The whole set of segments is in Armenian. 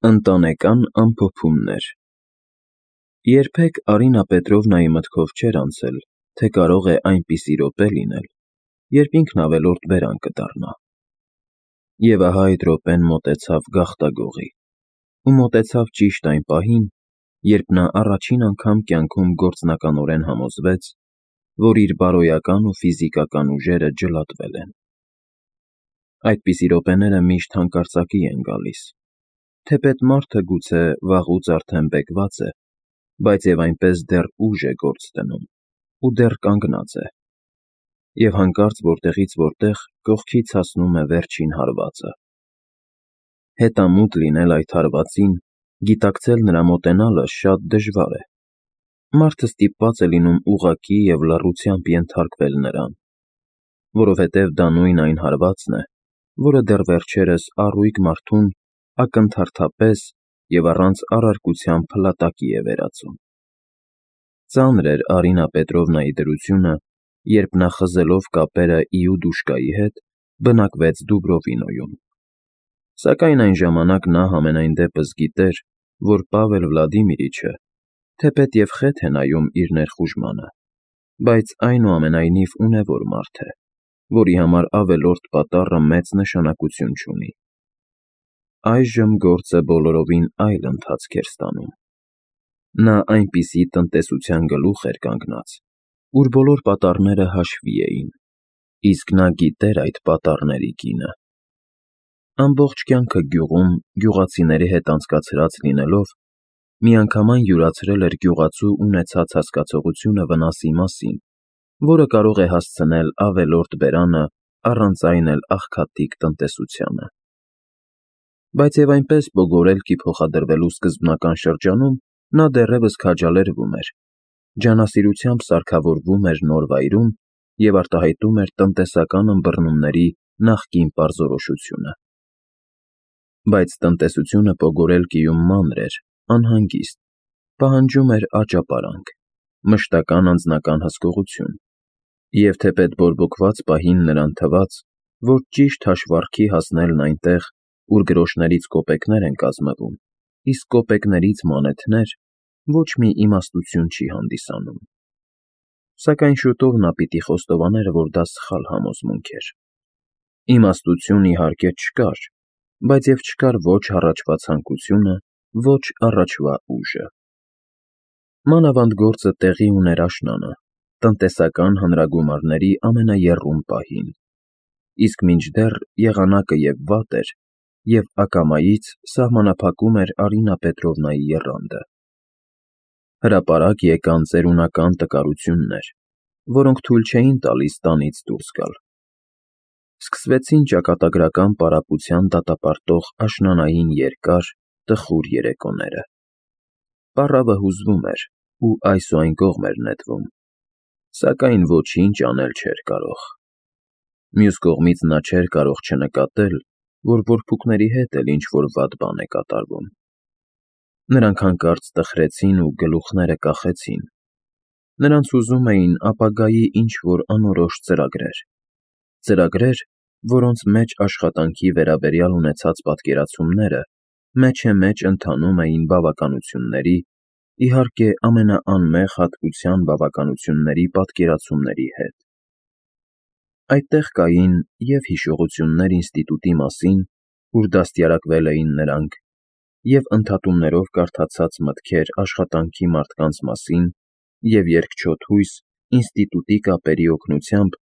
Ընտանեկան ամփոփումներ։ Երբեք Արինա Պետրովնայի մտքով չէր անցել, թե կարող է այնպիսի րոպե լինել, երբ ինքն ավելորդ բերան կդառնա։ Եվ ահա այդ րոպեն մոտեցավ գաղտագողի, ու մոտեցավ ճիշտ այն պահին, երբ նա առաջին անգամ կյանքում գործնականորեն համոզվեց, որ իր բարոյական ու ֆիզիկական ուժերը ջլատվել են։ Այդպիսի րոպեները միշտ հանկարծակի են գալիս, թեպետ մարդը գուցե վաղուց արդեն բեկված է, բայց և այնպես դեռ ուժ է գործ դնում ու դեռ կանգնած է, և հանկարծ որտեղից որտեղ կողքից հասնում է վերջին հարվածը։ Հետամուտ լինել այդ հարվածին, գիտակցել նրա մոտենալը շատ դժվար է։ Մարդը ստիպված է լինում ուղղակի և լռությամբ ենթարկվել նրան, որովհետև դա նույն այն հարվածն է, որը դեռ վերջերս առույգ մարդուն ակնթարթապես և առանց առարկության փլատակի է վերածում։ Ծանր էր Արինա Պետրովնայի դրությունը, երբ նա խզելով կապերը Իուդուշկայի հետ բնակվեց Դուբրովինոյում։ Սակայն այն ժամանակ նա համենայն դեպս գիտեր, որ Պավել Վլադիմիրիչը, թեպետ և խեթ է նայում իր ներխուժմանը, բայց այնուամենայնիվ ունևոր մարդ է, որի համար ավելորդ պատառը մեծ նշանակություն չունի։ Այժմ գործը բոլորովին այլ ընթացք էր ստանում։ Նա այնպիսի տնտեսության գլուխ էր կանգնած, ուր բոլոր պատառները հաշվի էին, իսկ նա գիտեր այդ պատառների գինը։ Ամբողջ կյանքը գյուղում գյուղացիների հետ անցկացրած լինելով, միանգամայն յուրացրել էր գյուղացու ունեցած հասկացողությունը վնասի մասին, որը կարող է հասցնել ավելորդ բերանը առանց այն էլ աղքատիկ տնտեսությանը։ Բայց և այնպես բոգորելքի փոխադրվելու սկզբնական շրջանում նա դեռևս քաջալերվում էր, ջանասիրությամբ սարքավորվում էր նոր վայրում և արտահայտում էր տնտեսական ըմբռնումների նախկին պարզորոշությունը։ Բայց տնտեսությունը Պոգորելկիում մանր էր, անհանգիստ, պահանջում էր աճապարանք, մշտական անձնական հսկողություն, և թեպետ բորբոքված պահին նրան թվաց, որ ճիշտ հաշվարկի հասնելն այնտեղ, ուր գրոշներից կոպեկներ են կազմվում, իսկ կոպեկներից մանեթներ, ոչ մի իմաստություն չի հանդիսանում։ Սակայն շուտով նա պիտի խոստովաներ, որ դա սխալ համոզմունք էր։ Իմաստություն, իհարկե, չկար, բայց և չկար ոչ առաջվա ցանկությունը, ոչ առաջվա ուժը։ Մանավանդ գործը տեղի ուներ աշնանը, տնտեսական հանրագումարների ամենաեռում պահին, իսկ մինչդեռ եղանակը և վատ էր, և ակամայից սահմանափակում էր Արինա Պետրովնայի եռանդը։ Հրապարակ եկան ծերունական տկարություններ, որոնք թույլ չէին տալիս տանից դուրս գալ։ Սկսվեցին ճակատագրական պարապության դատապարտող աշնանային երկար, տխուր երեկոները։ Պառավը հուզվում էր ու այս ու այն կողմ էր նետվում, սակայն ոչինչ անել չէր կարող։ Մյուս կողմից նա չէր կարող չնկատել, որ որբուքների հետ էլ ինչ-որ վատ բան է կատարվում։ Նրանք հանկարծ տխրեցին ու գլուխները կախեցին։ Նրանց հուզում էին ապագայի ինչ-որ անորոշ ծրագրեր, որոնց մեջ աշխատանքի վերաբերյալ ունեցած պատկերացումները մեջեմեջ ընթանում էին բավականությունների, իհարկե ամենաանմեղ հատկության բավականությունների պատկերացումների հետ։ Այդտեղ կային և հիշողություններ ինստիտուտի մասին, ուր դաստիարակվել էին նրանք, և ընդհատումներով կարդացած մտքեր աշխատանքի մարդկանց մասին, և երկչոտ հույս ինստիտուտի կապերի օգնությամբ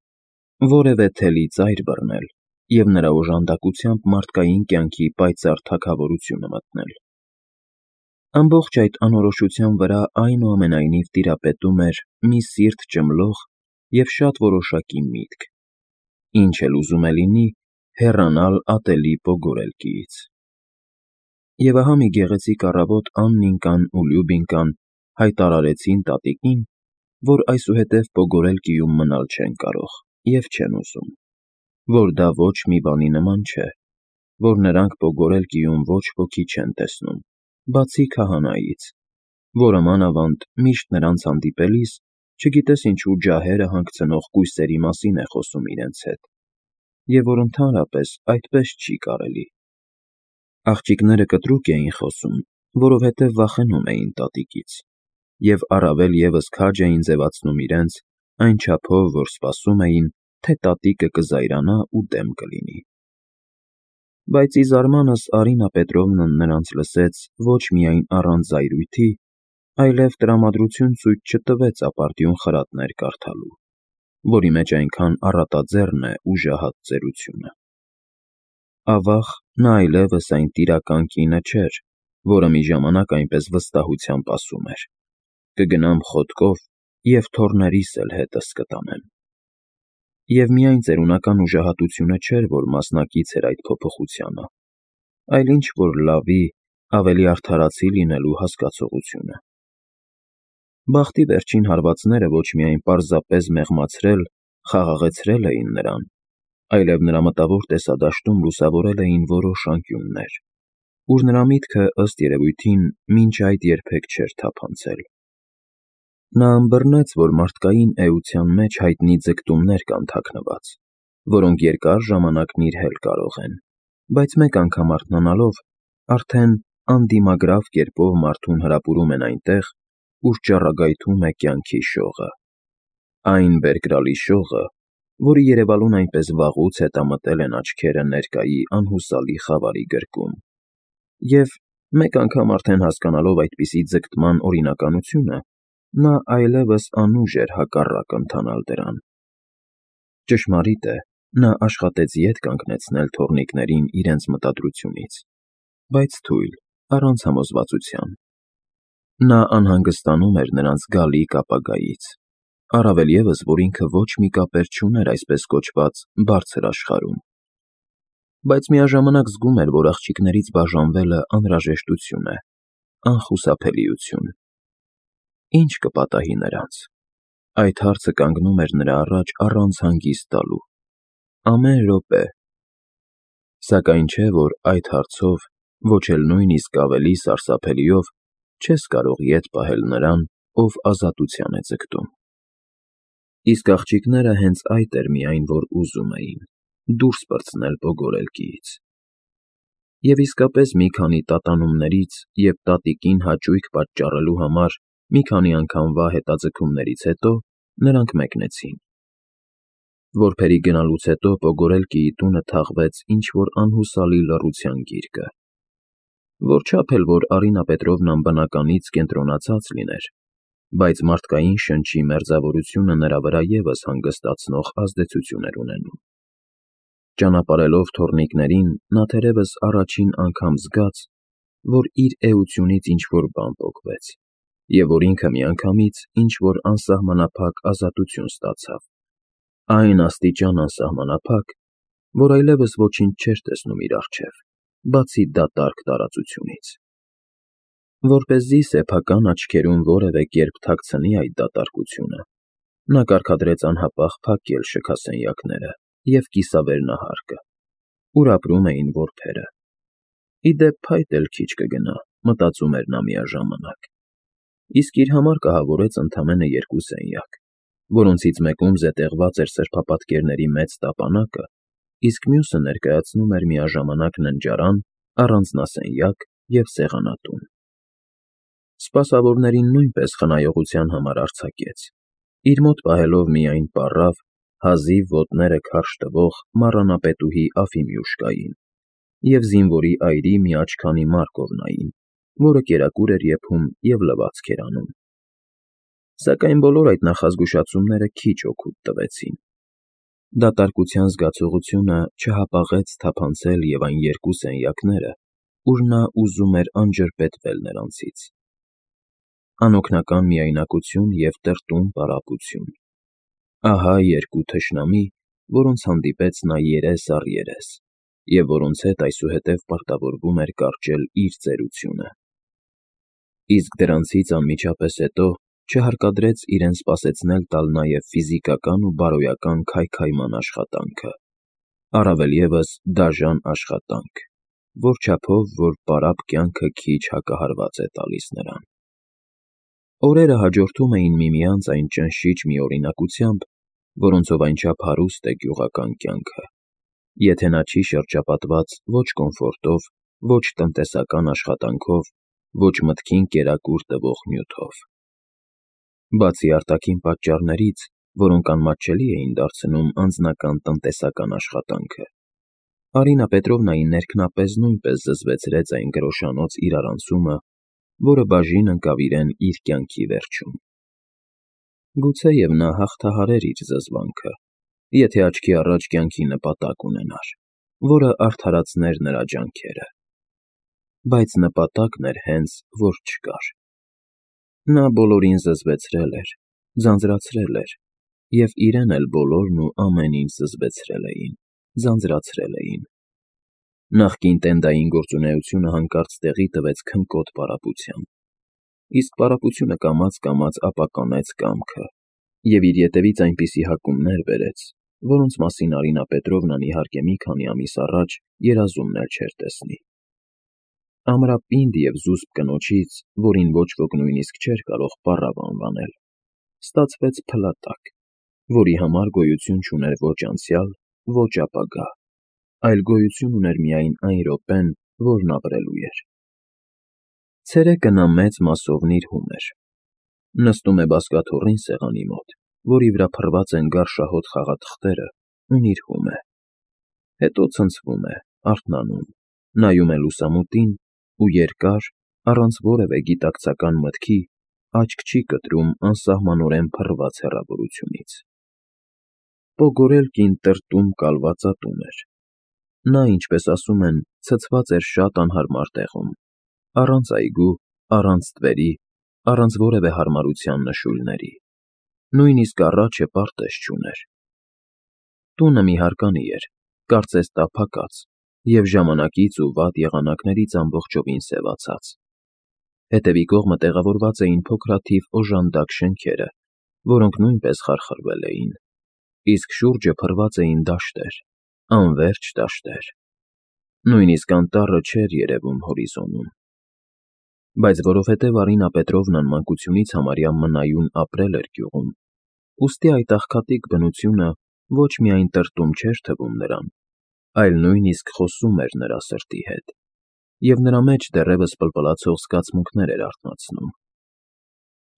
որևէ թելի ծայր բռնել և նրա օժանդակությամբ մարդկային կյանքի պայծառ թագավորությունը մտնել։ Ամբողջ այդ անորոշության վրա այնուամենայնիվ տիրապետում էր մի սիրտ ճմլող և շատ որոշակի միտք. ինչ էլ ուզում է լինի, հեռանալ ատելի Պոգորելկիից։ Եվ ահա մի գեղեցիկ առավոտ Աննիկան ու Լյուբինկան հայտարարեցին տատիկին, որ այսուհետև Պոգորելկիում մնալ չեն կարող և չեն ուզում, որ դա ոչ մի բանի նման չէ, որ նրանք Պոգորելկիում ոչ ոքի չեն տեսնում, բացի քահանայից, որը մանավանդ միշտ նրանց հանդիպելիս չգիտես ինչու ջահերը հանգցնող կույսերի մասին է խոսում իրենց հետ, և որ ընդհանրապես այդպես չի կարելի։ Աղջիկները կտրուկ էին խոսում, որովհետև վախենում էին տատիկից, և առավել ևս քաջ էին ձևացնում իրենց, այն չափով, որ սպասում էին, թե տատիկը կզայրանա ու դեմ կլինի։ Բայց ի զարմանս Արինա Պետրովնան նրանց լսեց ոչ միայն առանց զայրույթի, այլև տրամադրություն ցույց չտվեց ապարդյուն խրատներ կարդալու, որի մեջ այնքան առատաձեռն է ուժահատ ծերությունը։ Ավաղ նա այլևս այն տիրական կինը չէր, որը մի ժամանակ այնպես վստահությամբ ասում էր. «Կգնամ խոտկով և թոռներիս էլ հետս կտանեմ»։ Եվ միայն ծերունական ուժահատությունը չէր, որ մասնակից էր այդ փոփոխությանը, այլ ինչ-որ լավի, ավելի արդարացի լինելու հասկացողությունը։ Բախտի վերջին հարվածները ոչ միայն պարզապես մեղմացրել, խաղաղեցրել էին նրան, այլև նրա մտավոր տեսադաշտում լուսավորել էին որոշ անկյուններ, ուր նրա միտքը, ըստ երևույթին, մինչ այդ երբեք չէր թափանցել։ Նա ըմբռնեց, որ մարդկային էության մեջ հայտնի ձգտումներ կան թաքնված, որոնք երկար ժամանակն իր հել կարող են, բայց մեկ անգամ արթնանալով, արդեն անդիմագրավ կերպով մարդուն հրապուրում են այնտեղ, ուր ճառագայթում է կյանքի շողը։ Այն բերկրալի շողը, որի երևալուն այնպես վաղուց հետամտել են աչքերը ներկայի անհուսալի խավարի գրկում։ Եվ, մեկ անգամ արդեն հասկանալով այդպիսի ձգտման օրինականությունը, նա այլևս անուժ էր հակառակ ընթանալ դրան։ Ճշմարիտ է, նա աշխատեց ետ կանգնեցնել թոռնիկներին իրենց մտադրությունից, բայց թույլ, առանց համոզվածության։ Նա անհանգստանում էր նրանց գալիք ապագայից, առավել ևս, որ ինքը ոչ մի կապեր չուներ այսպես կոչված բարձր աշխարհում։ Բայց միաժամանակ զգում էր, որ աղջիկներից բաժանվելը անհրաժեշտություն է, անխուսափելիություն։ Ինչ կպատահի նրանց։ Այդ հարցը կանգնում էր նրա առաջ առանց հանգիստ տալու։ Ամեն րոպե։ Սակայն չէ, որ այդ հարցով, ոչ էլ նույնիսկ ավելի սարսափելիով, չես կարող ետ պահել նրան, ով ազատության է ձգտում։ Իսկ աղջիկները հենց այդ էր միայն, որ ուզում էին՝ դուրս պրծնել բոգորելկիից։ Եվ իսկապես մի քանի տատանումներից և տատիկին հաճույք պատճառելու համար մի քանի անգամվա հետաձգումներից հետո նրանք մեկնեցին։ Որբերի գնալուց հետո Պոգորելկիի տունը թաղվեց ինչ-որ անհուսալի լռության գիրկը։ Որչափ էլ որ Արինա Պետրովնան բնականից կենտրոնացած լիներ, բայց մարդկային շնչի մերձավորությունը նրա վրա ևս հանգստացնող ազդեցություն էր ունենում։ Ճանապարհելով թոռնիկներին, նա թերևս առաջին անգամ զգաց, որ իր էությունից ինչ-որ բան պոկվեց, և որ ինքը միանգամից ինչ-որ անսահմանափակ ազատություն ստացավ, այն աստիճան անսահմանափակ, որ այլևս ոչինչ չէր տեսնում իր առջև, բացի դատարկ տարածությունից։ Որպեսզի սեփական աչքերում որևէ կերպ թաքցնի այդ դատարկությունը, նա կարգադրեց անհապաղ փակել շքասենյակները և կիսավերնահարկը, ուր ապրում էին որբերը։ Ի դեպ, փայտ էլ քիչ կգնա, մտածում էր նա միաժամանակ։ Իսկ իր համար կահավորեց ընդամենը 2 սենյակ, որոնցից մեկում զետեղված էր սրբապատկերների մեծ տապանակը, իսկ մյուսը ներկայացնում էր միաժամանակ ննջարան, առանձնասենյակ և սեղանատուն։ Սպասավորներին նույնպես խնայողության համար արձակեց, իր մոտ պահելով միայն պառավ, հազիվ ոտները քարշ տվող մառանապետուհի Աֆիմյուշկային և զինվորի այրի մի աչքանի Մարկովնային, որը կերակուր էր եփում և լվացք էր անում։ Սակայն բոլոր այդ նախազգուշացումները քիչ օգուտ տվեցին։ Դատարկության զգացողությունը չհապաղեց թափանցել և այն 2 սենյակները, ուր նա ուզում էր անջրպետվել նրանցից։ Անօգնական միայնակություն և տրտում պարապություն։ Ահա 2 թշնամի, որոնց հանդիպեց նա երես առ երես, և որոնց հետ այսուհետև պարտավորվում էր կարճել իր ծերությունը։ Իսկ դրանցից անմիջապես հետո չհարկադրեց իրեն սպասեցնել տալ նաև ֆիզիկական ու բարոյական քայքայման աշխատանքը, առավել ևս դաժան աշխատանք, որչափով, որ պարապ կյանքը քիչ հակահարված է տալիս նրան։ Օրերը հաջորդում էին միմյանց այն ճնշիչ միօրինակությամբ, որոնցով այնչափ հարուստ է գյուղական կյանքը, եթե նա չի շրջապատված ոչ կոմֆորտով, ոչ տնտեսական աշխատանքով, ոչ մտքին կերակուր տվող նյութով։ Բացի արտաքին պատճառներից, որոնք անմատչելի էին դարձնում անձնական տնտեսական աշխատանքը, Արինա Պետրովնայի ներքնապես նույնպես զզվեցրեց այն գրոշանոց իրարանցումը, որը բաժին ընկավ իրեն իր կյանքի վերջում։ Գուցեև նա հաղթահարեր իր զզվանքը, եթե աչքի առաջ կյանքի նպատակ ունենար, որը արդարացներ նրա ջանքերը։ Բայց նպատակն էր հենց, որ չկար։ Նա բոլորին զզվեցրել էր, ձանձրացրել էր, և իրեն էլ բոլորն ու ամեն ինչ զզվեցրել էին, ձանձրացրել էին։ Նախկին տենդային գործունեությունը հանկարծ տեղի տվեց քնկոտ պարապության, իսկ պարապությունը կամաց-կամաց ապականեց կամքը և իր ետևից այնպիսի հակումներ բերեց, որոնց մասին Արինա Պետրովնան, իհարկե, մի քանի ամիս առաջ երազումն էլ չէր տեսնի։ Ամրապինդ և զուսպ կնոջից, որին ոչ ոք նույնիսկ չէր կարող պառավ անվանել, ստացվեց փլատակ, որի համար գոյություն չուներ ոչ անցյալ, ոչ ապագա, այլ գոյություն ուներ միայն այն րոպեն, որն ապրելու էր։ Ցերեկը նա մեծ մասով նիրհում էր։ Նստում է բազկաթոռին սեղանի մոտ, որի վրա փռված են գարշահոտ խաղաթղթերը, ու նիրհում է։ Հետո ցնցվում է, արթնանում, նայում է լուսամուտին ու երկար, առանց որևէ գիտակցական մտքի, աչք չի կտրում անսահմանորեն փռված հեռավորությունից։ Պոգորել կին տրտում կալվածատուն էր։ Նա, ինչպես ասում են, ցցված էր շատ անհարմար տեղում, առանց այգու, առանց թվերի, առանց որևէ հարմարության նշույլների, նույնիսկ առաջը պարտեզ չուներ։ Տունը մի հարկանի էր, կարծես տափակած, և ժամանակից ու վատ եղանակներից ամբողջովին սևացած։ Հետևի կողմը տեղավորված էին փոքրաթիվ օժանդակ շենքերը, որոնք նույնպես խարխրվել էին, իսկ շուրջը փռված էին դաշտեր, անվերջ դաշտեր։ Նույնիսկ անտառը չէր երևում հորիզոնում։ Բայց որովհետև Արինա Պետրովնան մանկությունից համարյա մնայուն ապրել էր գյուղում, ուստի այդ աղքատիկ բնությունը ոչ միայն տրտում չէր թվում նրան, այլ նույնիսկ խոսում էր նրա սրտի հետ, և նրա մեջ դեռևս պլպլացող զգացմունքներ էր արթնացնում։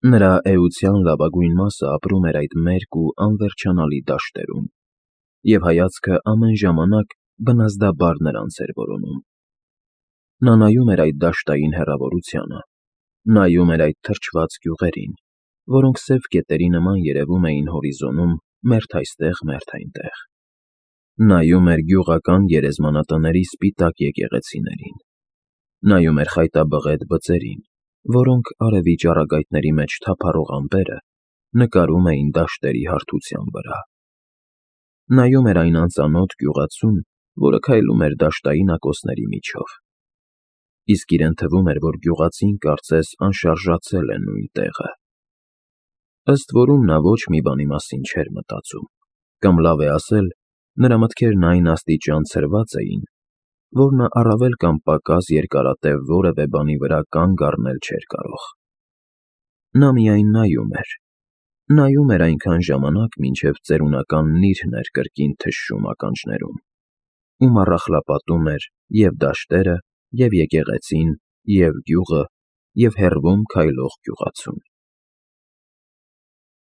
Նրա էության լավագույն մասը ապրում էր այդ մերկ ու անվերջանալի դաշտերում, և հայացքը ամեն ժամանակ բնազդաբար նրանց էր որոնում։ Նա նայում էր այդ դաշտային հեռավորությանը, նայում էր այդ թրջված գյուղերին, որոնք սև կետերի նման երևում էին հորիզոնում մերթ այստեղ, մերթ այնտեղ։ Նայում էր գյուղական գերեզմանատների սպիտակ եկեղեցիներին, նայում էր խայտաբղետ բծերին, որոնք արևի ճառագայթների մեջ թափառող ամպերը նկարում էին դաշտերի հարթության վրա։ Նայում էր այն անծանոթ գյուղացուն, որը քայլում էր դաշտային ակոսների միջով, իսկ իրեն թվում էր, որ գյուղացին կարծես անշարժացել է նույն տեղը։ Ըստ որում նա ոչ մի բանի մասին չէր մտածում, կամ լավ է ասել, նրա մտքերն այն աստիճան ցրված էին, որ նա առավել կամ պակաս երկարատև որևէ բանի վրա կանգ առնել չէր կարող։ Նա միայն նայում էր այնքան ժամանակ, մինչև ծերունական նիրհն էր կրկին թշում ականջներում, ու մառախլապատում էր և դաշտերը, և եկեղեցին, և գյուղը, և հեռվում քայլող գյուղացուն։